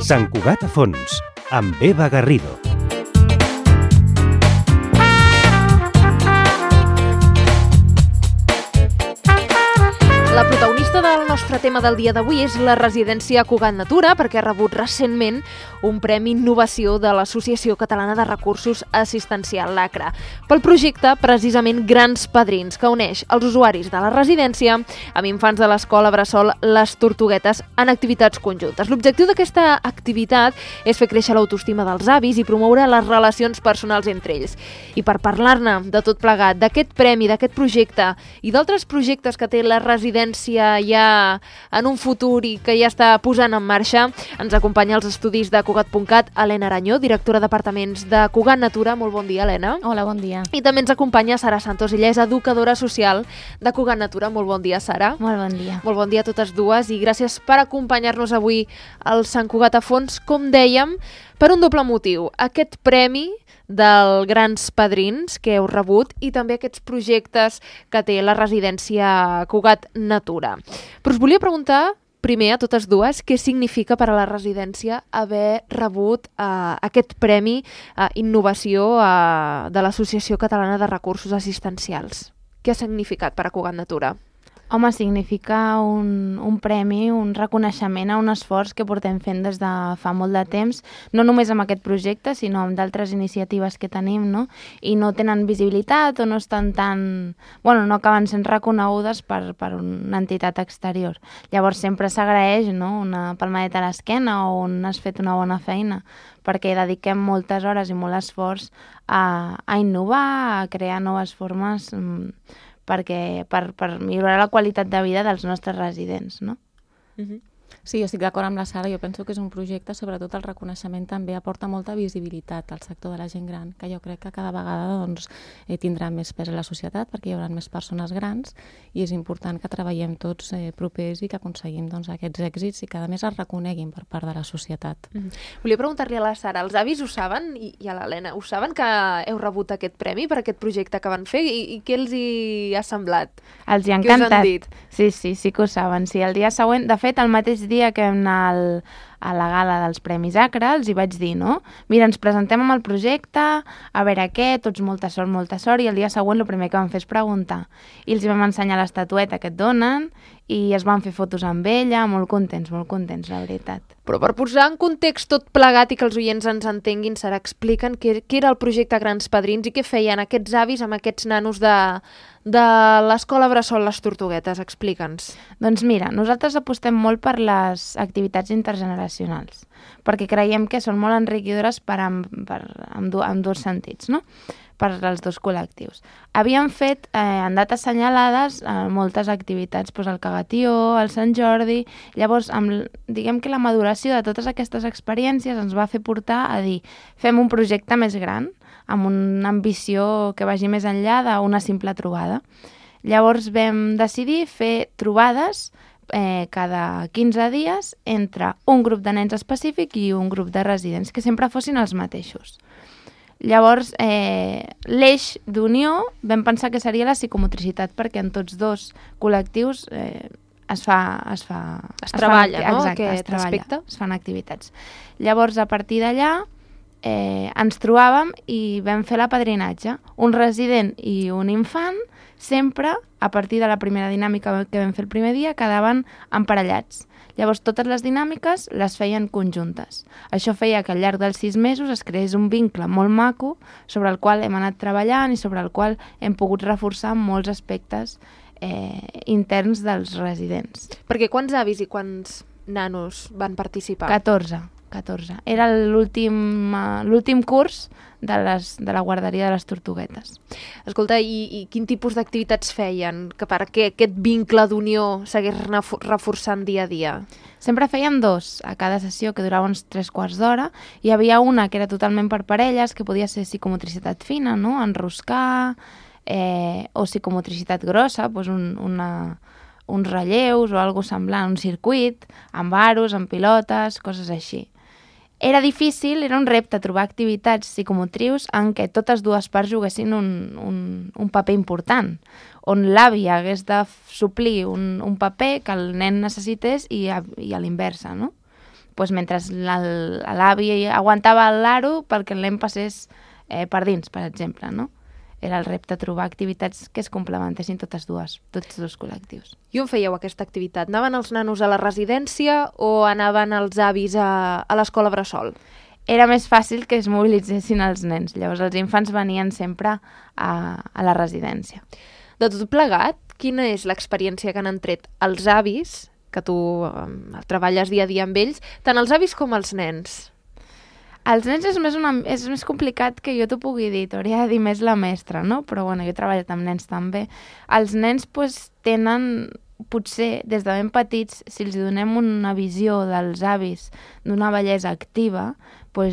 Sant Cugat a fons, amb Eva Garrido. La protagonista del nostre tema del dia d'avui és la residència Cugat Natura, perquè ha rebut recentment un Premi Innovació de l'Associació Catalana de Recursos Assistencial, l'ACRA, pel projecte precisament Grans Padrins, que uneix els usuaris de la residència amb infants de l'escola bressol Les Tortuguetes en activitats conjuntes. L'objectiu d'aquesta activitat és fer créixer l'autoestima dels avis i promoure les relacions personals entre ells. I per parlar-ne de tot plegat, d'aquest premi, d'aquest projecte i d'altres projectes que té la residència ja en un futur i que ja està posant en marxa, ens acompanya als estudis de Cugat.cat Helena Aranyó, directora d'apartaments de Cugat Natura. Molt bon dia, Helena. Hola, bon dia. I també ens acompanya Sara Santos, ella és educadora social de Cugat Natura. Molt bon dia, Sara. Molt bon dia. Molt bon dia a totes dues i gràcies per acompanyar-nos avui al Sant Cugat a fons, com dèiem, per un doble motiu. Aquest premi dels Grans Padrins que heu rebut i també aquests projectes que té la residència Cugat Natura. Però us volia preguntar primer a totes dues què significa per a la residència haver rebut aquest Premi Innovació de l'Associació Catalana de Recursos Assistencials. Què ha significat per a Cugat Natura? Home, significa un premi, un reconeixement a un esforç que portem fent des de fa molt de temps, no només amb aquest projecte, sinó amb d'altres iniciatives que tenim, no? I no tenen visibilitat o no estan tan... Bueno, no acaben sent reconegudes per una entitat exterior. Llavors sempre s'agraeix, no?, una palmadeta a l'esquena o on has fet una bona feina, perquè dediquem moltes hores i molt esforç a innovar, a crear noves formes per millorar la qualitat de vida dels nostres residents, no? Sí, jo estic d'acord amb la Sara. Jo penso que és un projecte, sobretot el reconeixement també aporta molta visibilitat al sector de la gent gran, que jo crec que cada vegada tindrà més pes a la societat perquè hi haurà més persones grans i és important que treballem tots propers i que aconseguim aquests èxits i que a més es reconeguin per part de la societat. Volia preguntar-li a la Sara, els avis ho saben i a l'Helena, ho saben que heu rebut aquest premi per aquest projecte que van fer i què els hi ha semblat? Els hi ha encantat. Què us han dit? Sí que ho saben. Sí, el dia següent, de fet, el mateix dia que vam anar a la gala dels Premis ACRA, els hi vaig dir, no? Mira, ens presentem amb el projecte, a veure què, tots molta sort, i el dia següent el primer que van fer és preguntar. I els vam ensenyar l'estatueta que et donen i es van fer fotos amb ella, molt contents, la veritat. Però per posar en context tot plegat i que els oients ens entenguin, Sara, expliquen què era el projecte Grans Padrins i què feien aquests avis amb aquests nanos de l'escola bressol Les Tortuguetes. Explica'ns. Doncs mira, nosaltres apostem molt per les activitats intergeneracionals, perquè creiem que són molt enriquidores en dos sentits, no?, per als dos col·lectius. Havíem fet en dates assenyalades moltes activitats, el Cagatió, el Sant Jordi. Llavors, diguem que la maduració de totes aquestes experiències ens va fer portar a dir fem un projecte més gran, amb una ambició que vagi més enllà d'una simple trobada. Llavors vam decidir fer trobades cada 15 dies entre un grup de nens específic i un grup de residents, que sempre fossin els mateixos. Llavors, l'eix d'unió vam pensar que seria la psicomotricitat, perquè en tots dos col·lectius es treballa, no?, aquest aspecte. Es fan activitats. Llavors, a partir d'allà, ens trobàvem i vam fer l'apadrinatge. Un resident i un infant, sempre, a partir de la primera dinàmica que vam fer el primer dia, quedaven emparellats. Llavors, totes les dinàmiques les feien conjuntes. Això feia que al llarg dels 6 mesos es creés un vincle molt maco sobre el qual hem anat treballant i sobre el qual hem pogut reforçar molts aspectes interns dels residents. Perquè quants avis i quants nanos van participar? 14. Era l'últim curs de la guarderia de Les Tortuguetes. Escolta, i quin tipus d'activitats feien perquè aquest vincle d'unió s'hagués reforçant dia a dia? Sempre fèiem 2 a cada sessió, que durava uns 3/4 d'hora. Hi havia una que era totalment per parelles, que podia ser psicomotricitat fina, no?, enroscar, o psicomotricitat grossa, uns relleus o alguna semblant, un circuit, amb aros, amb pilotes, coses així. Era difícil, era un repte trobar activitats psicomotrius en què totes dues parts juguessin un paper important, on l'avi hagués de suplir un paper que el nen necessités i a l'inversa, no? Pues mentre l'avi aguantava l'aro perquè el nen passés per dins, per exemple, no? Era el repte trobar activitats que es complementessin tots dos col·lectius. I on fèieu aquesta activitat? Anaven els nanos a la residència o anaven els avis a l'escola bressol? Era més fàcil que es mobilitzessin els nens. Llavors els infants venien sempre a la residència. De tot plegat, quina és l'experiència que han tret els avis, que tu treballes dia a dia amb ells, tant els avis com els nens? Els nens és més complicat que jo t'ho pugui dir, t'hauria de dir més la mestra, no? Però bueno, jo he treballat amb nens també. Els nens tenen, potser des de ben petits, si els donem una visió dels avis d'una bellesa activa,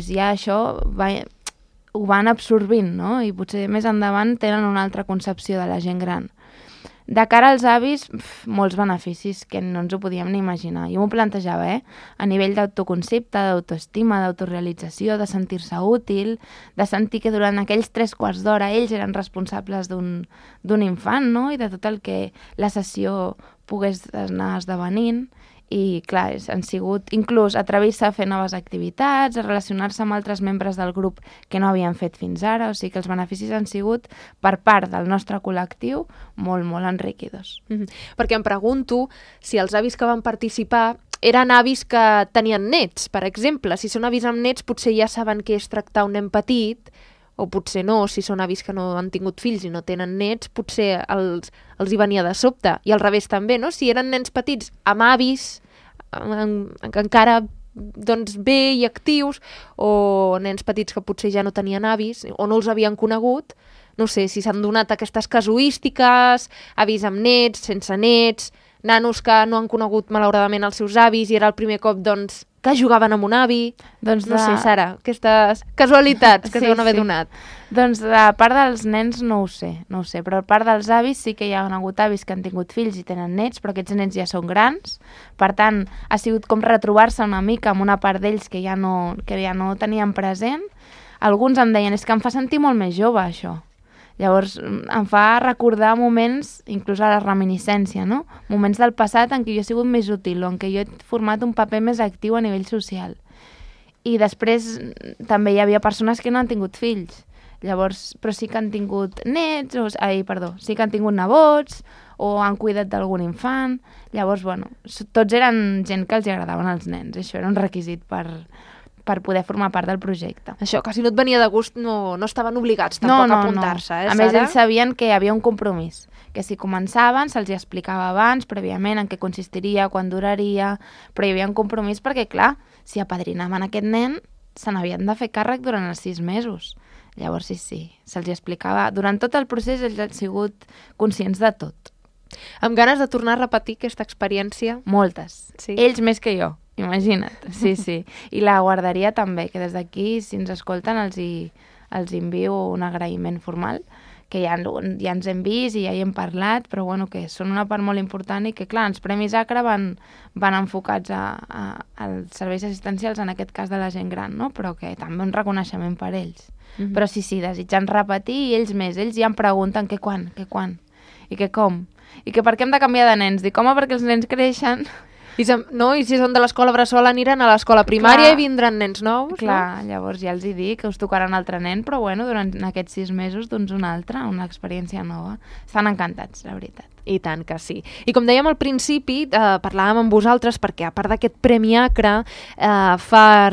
ja això ho van absorbint, no? I potser més endavant tenen una altra concepció de la gent gran. De cara als avis, molts beneficis que no ens ho podíem ni imaginar. Jo m'ho plantejava, a nivell d'autoconcepte, d'autoestima, d'autorealització, de sentir-se útil, de sentir que durant aquells 3 quarts d'hora ells eren responsables d'un infant, no? I de tot el que la sessió pogués anar esdevenint. I, clar, han sigut inclús atrevir-se a fer noves activitats, a relacionar-se amb altres membres del grup que no havien fet fins ara, o sigui que els beneficis han sigut, per part del nostre col·lectiu, molt, molt enriquidors. Perquè em pregunto si els avis que van participar eren avis que tenien nets, per exemple. Si són avis amb nets, potser ja saben què és tractar un nen petit, o potser no, si són avis que no han tingut fills i no tenen nets, potser els hi venia de sobte. I al revés també, no? Si eren nens petits amb avis, encara bé i actius, o nens petits que potser ja no tenien avis o no els havien conegut, no sé si s'han donat aquestes casuístiques, avis amb nets, sense nets, nanos que no han conegut malauradament els seus avis i era el primer cop, que jugaven amb un avi. No sé, Sara, aquestes casualitats que s'han haver donat. Doncs de part dels nens no ho sé, però a part dels avis sí que hi ha hagut avis que han tingut fills i tenen nets, però aquests nens ja són grans, per tant ha sigut com retrobar-se una mica amb una part d'ells que ja no tenien present. Alguns em deien, és que em fa sentir molt més jove això. Llavors em fa recordar moments, inclús a la reminiscència, no? Moments del passat en què jo he sigut més útil o en què jo he format un paper més actiu a nivell social. I després també hi havia persones que no han tingut fills, llavors, però sí que han tingut nets, sí que han tingut nebots o han cuidat d'algun infant. Llavors, tots eren gent que els agradaven els nens. Això era un requisit per poder formar part del projecte. Això, que si no et venia de gust no estaven obligats tampoc a apuntar-se, A més, ells sabien que hi havia un compromís, que si començaven se'ls explicava abans, prèviament, en què consistiria, quan duraria, però hi havia un compromís perquè, clar, si apadrinaven aquest nen, se n'havien de fer càrrec durant els 6 mesos. Llavors, sí, se'ls explicava. Durant tot el procés ells han sigut conscients de tot. Amb ganes de tornar a repetir aquesta experiència? Moltes. Sí. Ells més que jo. Imagina't, sí. I la guarderia també, que des d'aquí, si ens escolten, els envio un agraïment formal, que ja ens hem vist i ja hi hem parlat, però que són una part molt important i que, clar, els Premis ACRA van enfocats als serveis assistencials, en aquest cas de la gent gran, no? Però que també un reconeixement per ells. Però sí, desitjant repetir, i ells més, ells ja em pregunten què quan, i què com, i que per què hem de canviar de nens. Dic, home, perquè els nens creixen. I si són de l'escola bressol aniran a l'escola primària i vindran nens nous, clar, no? Llavors ja els hi dic que us tocarà un altre nen, però durant aquests 6 mesos, un altre, una experiència nova. Estan encantats, la veritat. I tant que sí. I com dèiem al principi, parlàvem amb vosaltres perquè, a part d'aquest Premi ACRA, fa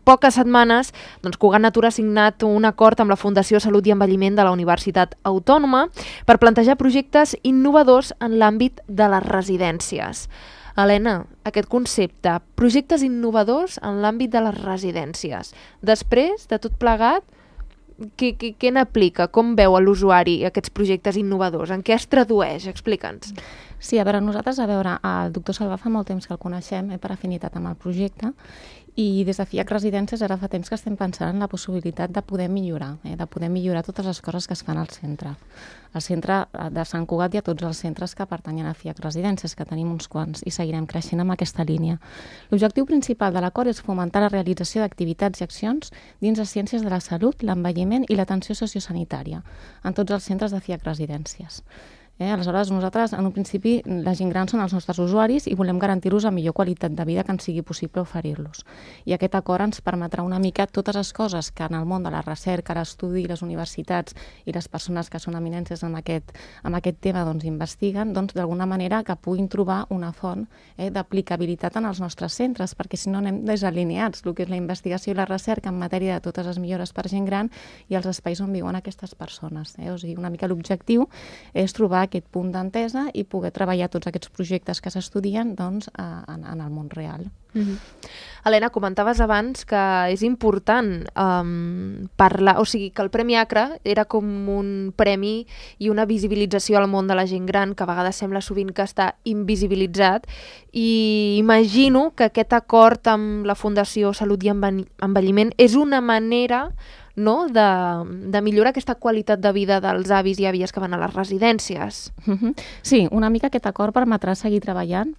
poques setmanes, Cugat Natura ha signat un acord amb la Fundació Salut i Envelliment de la Universitat Autònoma per plantejar projectes innovadors en l'àmbit de les residències. Helena, aquest concepte, projectes innovadors en l'àmbit de les residències. Després de tot plegat, què n'aplica? Com veu l'usuari aquests projectes innovadors? En què es tradueix? Explica'ns. Sí, a veure, nosaltres, el doctor Salvà fa molt temps que el coneixem per afinitat amb el projecte I des de FIAC Residències ara fa temps que estem pensant en la possibilitat de poder millorar, de poder millorar totes les coses que es fan al centre. Al centre de Sant Cugat i a tots els centres que pertanyen a FIAC Residències, que tenim uns quants, i seguirem creixent amb aquesta línia. L'objectiu principal de l'acord és fomentar la realització d'activitats i accions dins de ciències de la salut, l'envelliment i l'atenció sociosanitària en tots els centres de FIAC Residències. Aleshores, nosaltres, en un principi, la gent gran són els nostres usuaris i volem garantir-los la millor qualitat de vida que ens sigui possible oferir-los. I aquest acord ens permetrà una mica totes les coses que en el món de la recerca, l'estudi, les universitats i les persones que són eminències en aquest tema investiguen, d'alguna manera que puguin trobar una font d'aplicabilitat en els nostres centres, perquè si no anem desalineats el que és la investigació i la recerca en matèria de totes les millores per gent gran i els espais on viuen aquestes persones. O sigui, una mica l'objectiu és trobar aquest punt d'entesa i poder treballar tots aquests projectes que s'estudien en el món real. Helena, comentaves abans que és important parlar, o sigui, que el Premi Acra era com un premi i una visibilització al món de la gent gran, que a vegades sembla sovint que està invisibilitzat, i imagino que aquest acord amb la Fundació Salut i Envelliment és una manera de millorar aquesta qualitat de vida dels avis i àvies que van a les residències. Sí, una mica aquest acord permetrà seguir treballant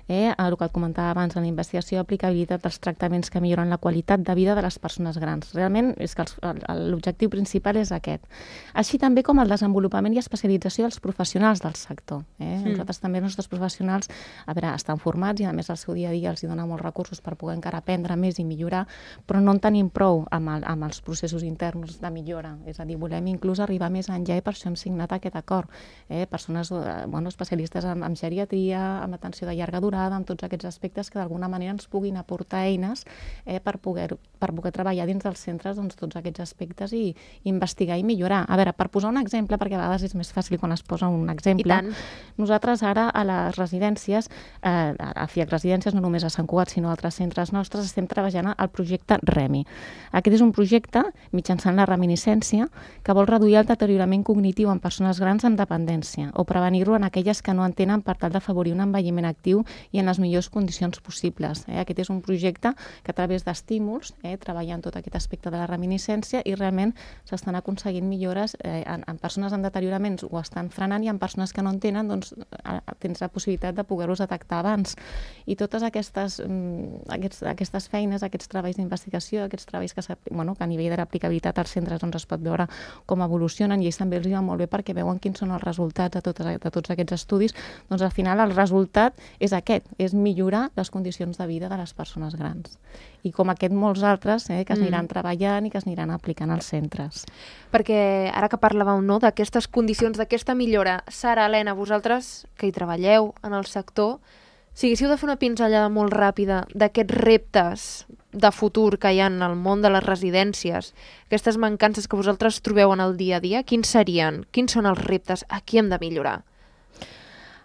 el que et comentava abans, en la investigació i aplicabilitat dels tractaments que milloren la qualitat de vida de les persones grans. Realment és que l'objectiu principal és aquest. Així també com el desenvolupament i especialització dels professionals del sector. Nosaltres també els nostres professionals estan formats i a més el seu dia a dia els dona molts recursos per poder encara aprendre més i millorar, però no en tenim prou amb els processos interns de millora. És a dir, volem inclús arribar més enllà i per això hem signat aquest acord. Persones especialistes en geriatria, en atenció de llarga durada, amb tots aquests aspectes que d'alguna manera ens puguin aportar eines per poder treballar dins dels centres tots aquests aspectes i investigar i millorar. A veure, per posar un exemple, perquè a vegades és més fàcil quan es posa un exemple, nosaltres ara a les residències, a FIAC Residències, no només a Sant Cugat, sinó a altres centres nostres, estem treballant al projecte REMI. Aquest és un projecte mitjançant la reminiscència que vol reduir el deteriorament cognitiu en persones grans amb dependència o prevenir-lo en aquelles que no en tenen per tal d'afavorir un envelliment actiu i en les millors condicions possibles. Aquest és un projecte que a través d'estímuls treballa en tot aquest aspecte de la reminiscència i realment s'estan aconseguint millores en persones amb deterioraments ho estan frenant i en persones que no en tenen tens la possibilitat de poder-los detectar abans. I totes aquestes feines, aquests treballs d'investigació, aquests treballs que a nivell de l'aplicabilitat als centres es pot veure com evolucionen i ells també els va molt bé perquè veuen quins són els resultats de tots aquests estudis. Al final el resultat és aquest, és millorar les condicions de vida de les persones grans. I com aquest molts altres que es aniran treballant i que es aniran aplicant als centres. Perquè ara que parlàveu d'aquestes condicions, d'aquesta millora, Sara, Helena, vosaltres que hi treballeu en el sector, si haguéssiu de fer una pinzellada molt ràpida d'aquests reptes de futur que hi ha en el món de les residències, aquestes mancances que vosaltres trobeu en el dia a dia, quins serien? Quins són els reptes? A qui hem de millorar?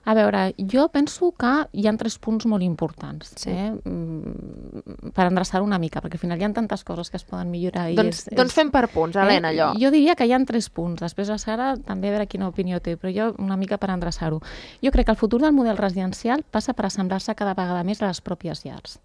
A veure, jo penso que hi ha 3 punts molt importants per endreçar una mica, perquè al final hi ha tantes coses que es poden millorar. Doncs fem per punts, Helena, allò. Jo diria que hi ha 3 punts. Després la Sara també a veure quina opinió té, però jo una mica per endreçar-ho. Jo crec que el futur del model residencial passa per assemblar-se cada vegada més a les pròpies llars.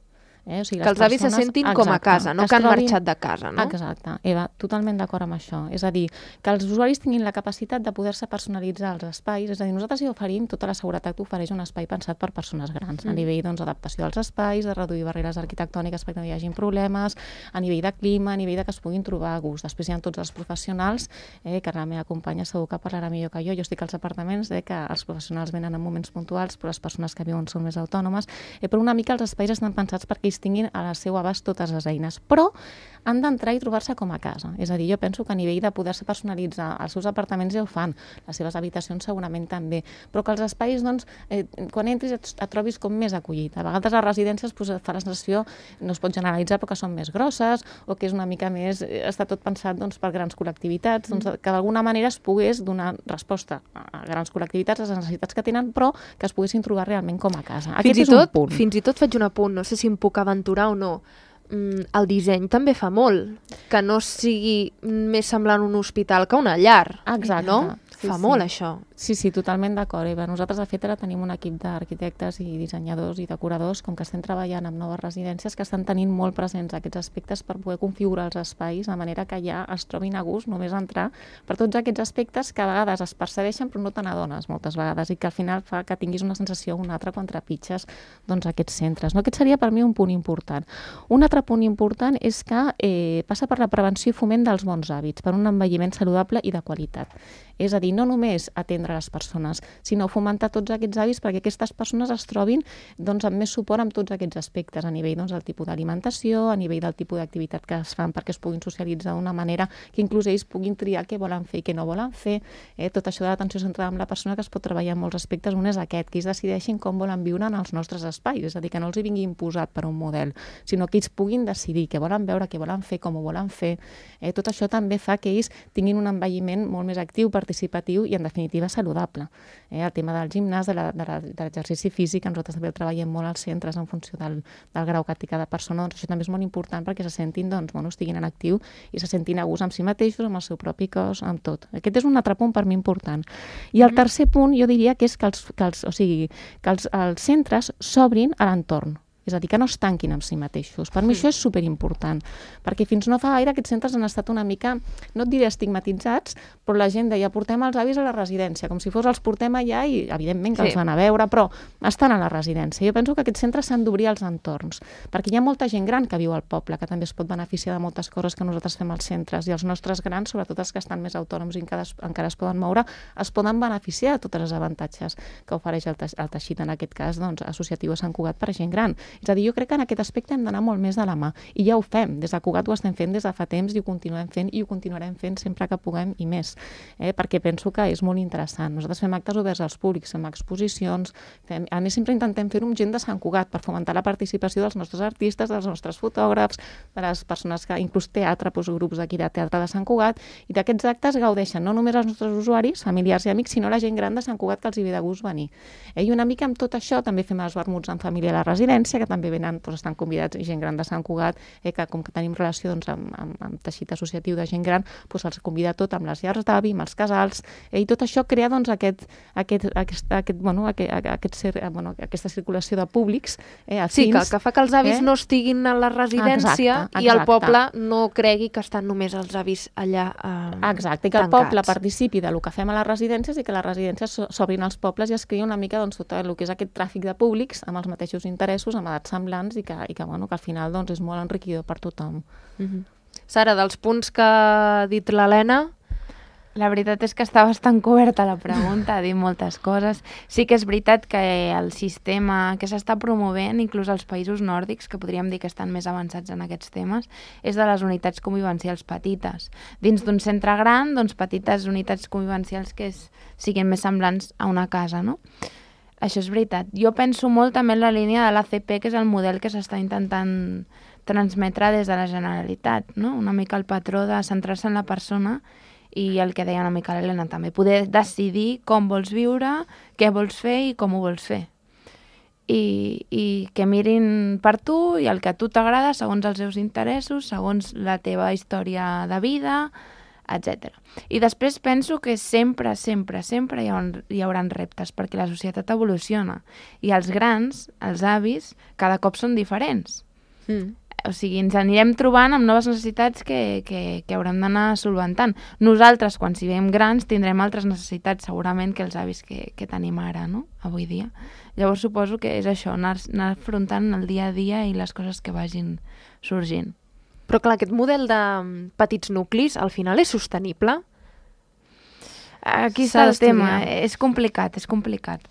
O sigui, que els avis se sentin com a casa, no que han marxat de casa, no? Exacte, Eva, totalment d'acord amb això. És a dir, que els usuaris tinguin la capacitat de poder-se personalitzar els espais, és a dir, nosaltres hi oferim tota la seguretat que ofereix un espai pensat per persones grans, a nivell d'adaptació dels espais, de reduir barreres arquitectòniques perquè no hi hagin problemes, a nivell de clima, a nivell de que es puguin trobar a gust. Després hi ha tots els professionals, que la meva companya segur que parlarà millor que jo estic als apartaments, que els professionals venen en moments puntuals, però les persones que viuen són més autònomes, però una mica els espais estan pensats perquè tinguin a la seu abast totes les eines, però han d'entrar i trobar-se com a casa. És a dir, jo penso que a nivell de poder-se personalitzar els seus apartaments ja ho fan, les seves habitacions segurament també, però que els espais, quan entris et trobis com més acollit. A vegades les residències fa la sensació, no es pot generalitzar, però que són més grosses o que és una mica més, està tot pensat per grans col·lectivitats, que d'alguna manera es pogués donar resposta a grans col·lectivitats, a les necessitats que tenen, però que es poguessin trobar realment com a casa. Aquest és un punt. Fins i tot faig un apunt, no sé si em puc aventurar o no. El disseny també fa molt, que no sigui més semblant un hospital que una llar. Exacte. No? Fa molt, això. Sí, totalment d'acord, Eva. Nosaltres, de fet, ara tenim un equip d'arquitectes i dissenyadors i decoradors, com que estem treballant amb noves residències, que estan tenint molt presents aquests aspectes per poder configurar els espais de manera que ja es trobin a gust només entrar per tots aquests aspectes que a vegades es percebeixen però no te n'adones moltes vegades i que al final fa que tinguis una sensació o una altra quan trepitges aquests centres. Aquest seria per mi un punt important. Un altre punt important és que passa per la prevenció i foment dels bons hàbits, per un envelliment saludable i de qualitat. És a dir, no només atendre les persones, sinó fomentar tots aquests hàbits perquè aquestes persones es trobin amb més suport amb tots aquests aspectes, a nivell del tipus d'alimentació, a nivell del tipus d'activitat que es fan perquè es puguin socialitzar d'una manera que inclús ells puguin triar què volen fer i què no volen fer. Tot això de l'atenció centrada en la persona, que es pot treballar en molts aspectes. Un és aquest, que ells decideixin com volen viure en els nostres espais, és a dir, que no els hi vingui imposat per un model, sinó que ells puguin decidir què volen veure, què volen fer, com ho volen fer. Tot això també fa que ells tinguin un envelliment molt més actiu, participatiu i, en definitiva, saludable. El tema del gimnàs, de l'exercici físic, nosaltres també el treballem molt als centres en funció del grau que té cada persona, això també és molt important perquè se sentin, estiguin en actiu i se sentin a gust amb si mateixos, amb el seu propi cos, amb tot. Aquest és un altre punt per mi important. I el tercer punt jo diria que és que els centres s'obrin a l'entorn. És a dir, que no es tanquin amb si mateixos. Per mi això és superimportant, perquè fins no fa gaire aquests centres han estat una mica, no et diré estigmatitzats, però la gent deia, portem els avis a la residència, com si fos els portem allà i, evidentment, que els van a veure, però estan a la residència. Jo penso que aquests centres s'han d'obrir als entorns, perquè hi ha molta gent gran que viu al poble, que també es pot beneficiar de moltes coses que nosaltres fem als centres, i els nostres grans, sobretot els que estan més autònoms i encara es poden moure, es poden beneficiar de tots els avantatges que ofereix el teixit, en aquest cas, associatiu a Sant Cugat per a gent gran. És a dir, jo crec que en aquest aspecte hem d'anar molt més de la mà. I ja ho fem. Des de Cugat ho estem fent des de fa temps i ho continuem fent i ho continuarem fent sempre que puguem i més. Perquè penso que és molt interessant. Nosaltres fem actes oberts als públics, fem exposicions, a més sempre intentem fer-ho amb gent de Sant Cugat per fomentar la participació dels nostres artistes, dels nostres fotògrafs, de les persones que, inclús teatre, grups d'aquí de teatre de Sant Cugat, i d'aquests actes gaudeixen no només els nostres usuaris, familiars i amics, sinó la gent gran de Sant Cugat que els hi ve de gust venir. I una mica amb tot això també fem els vermuts en família a la residència, que també venen, estan convidats gent gran de Sant Cugat, que com que tenim relació amb teixit associatiu de gent gran, els convida tot amb les llars d'avi, amb els casals, i tot això crea aquesta circulació de públics afins. Sí, que fa que els avis no estiguin a la residència i el poble no cregui que estan només els avis allà Exacte, i que el poble participi del que fem a les residències i que les residències s'obrin als pobles i es crea una mica tot el que és aquest tràfic de públics amb els mateixos interessos, amb edats semblants i que al final és molt enriquidor per tothom. Sara, dels punts que ha dit l'Helena... La veritat és que està bastant coberta la pregunta, ha dit moltes coses. Sí que és veritat que el sistema que s'està promovent, inclús als països nòrdics, que podríem dir que estan més avançats en aquests temes, és de les unitats convivencials petites. Dins d'un centre gran, petites unitats convivencials que siguin més semblants a una casa, no? Això és veritat. Jo penso molt també en la línia de l'ACP, que és el model que s'està intentant transmetre des de la Generalitat, no? Una mica el patró de centrar-se en la persona i el que deia una mica l'Helena també, poder decidir com vols viure, què vols fer i com ho vols fer. I que mirin per tu i el que a tu t'agrada segons els seus interessos, segons la teva història de vida, etc. I després penso que sempre hi haurà reptes, perquè la societat evoluciona i els grans, els avis, cada cop són diferents. O sigui, ens anirem trobant amb noves necessitats que haurem d'anar solventant. Nosaltres, quan siguem grans, tindrem altres necessitats segurament que els avis que tenim ara, no? Avui dia. Llavors suposo que és això, anar afrontant el dia a dia i les coses que vagin sorgint. Però clar, aquest model de petits nuclis al final és sostenible? Aquí està el tema, és complicat,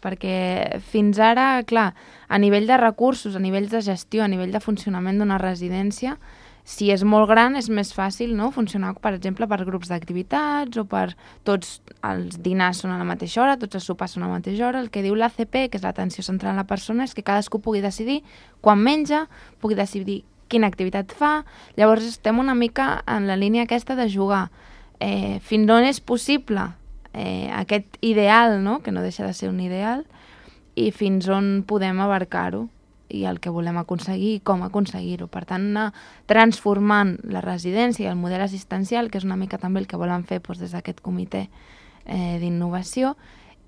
perquè fins ara, clar, a nivell de recursos, a nivell de gestió, a nivell de funcionament d'una residència, si és molt gran és més fàcil, no?, funcionar, per exemple, per grups d'activitats o per tots els dinars són a la mateixa hora, tots els sopars són a la mateixa hora. El que diu l'ACP, que és l'atenció central a la persona, és que cadascú pugui decidir quan menja, pugui decidir quina activitat fa. Llavors estem una mica en la línia aquesta de jugar. Fins on és possible aquest ideal, no?, que no deixa de ser un ideal, i fins on podem abarcar-ho i el que volem aconseguir i com aconseguir-ho. Per tant, anar transformant la residència i el model assistencial, que és una mica també el que volen fer des d'aquest comitè d'innovació,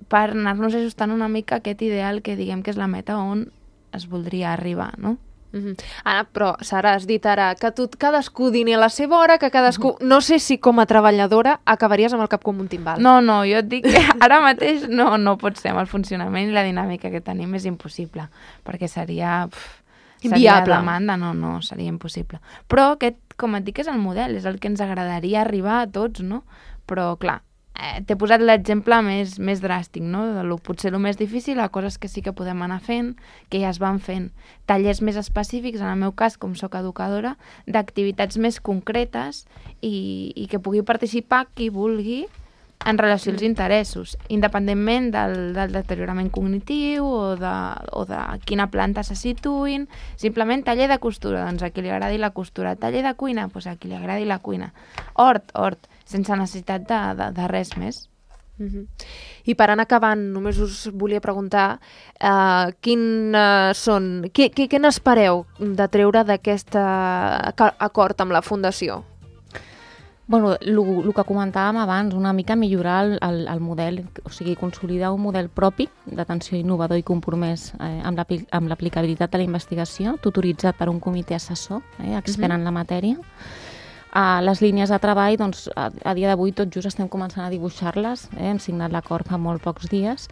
per anar-nos ajustant una mica aquest ideal que diguem que és la meta on es voldria arribar, no? Anna, però Sara, has dit ara que cadascú dini a la seva hora, que cadascú... No sé si com a treballadora acabaries amb el cap com un timbal. No, jo et dic que ara mateix no pot ser, amb el funcionament i la dinàmica que tenim és impossible, perquè seria inviable. Demanda, no, seria impossible. Però aquest, com et dic, és el model, és el que ens agradaria arribar a tots, no? Però, clar, t'he posat l'exemple més dràstic, no? Potser el més difícil, a coses que sí que podem anar fent, que ja es van fent. Tallers més específics, en el meu cas, com sóc educadora, d'activitats més concretes i que pugui participar qui vulgui en relació als interessos, independentment del deteriorament cognitiu o de quina planta se situïn. Simplement taller de costura, doncs a qui li agradi la costura. Taller de cuina, doncs a qui li agradi la cuina. Hort, sense necessitat de res més. I per anar acabant, només us volia preguntar què n'espereu de treure d'aquest acord amb la Fundació? Bueno, el que comentàvem abans, una mica millorar el model, o sigui, consolidar un model propi d'atenció innovador i compromès amb l'aplicabilitat de la investigació, tutoritzat per un comitè assessor, expert en la matèria. Les línies de treball, doncs, a dia d'avui tot just estem començant a dibuixar-les, hem signat l'acord fa molt pocs dies.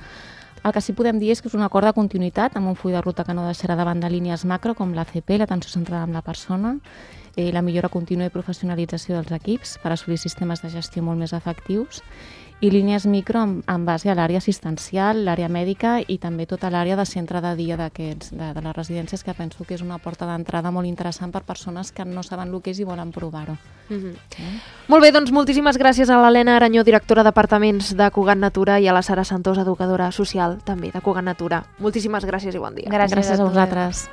El que sí podem dir és que és un acord de continuïtat amb un full de ruta que no deixarà de banda línies macro com l'ACP, l'atenció centrada en la persona, la millora contínua i professionalització dels equips per assolir sistemes de gestió molt més efectius i línies micro en base a l'àrea assistencial, l'àrea mèdica i també tota l'àrea de centre de dia de les residències, que penso que és una porta d'entrada molt interessant per persones que no saben el que és i volen provar-ho. Molt bé, doncs moltíssimes gràcies a l'Helena Aranyó, directora d'apartaments de Cugat Natura, i a la Sara Santós, educadora social també de Cugat Natura. Moltíssimes gràcies i bon dia. Gràcies a vosaltres.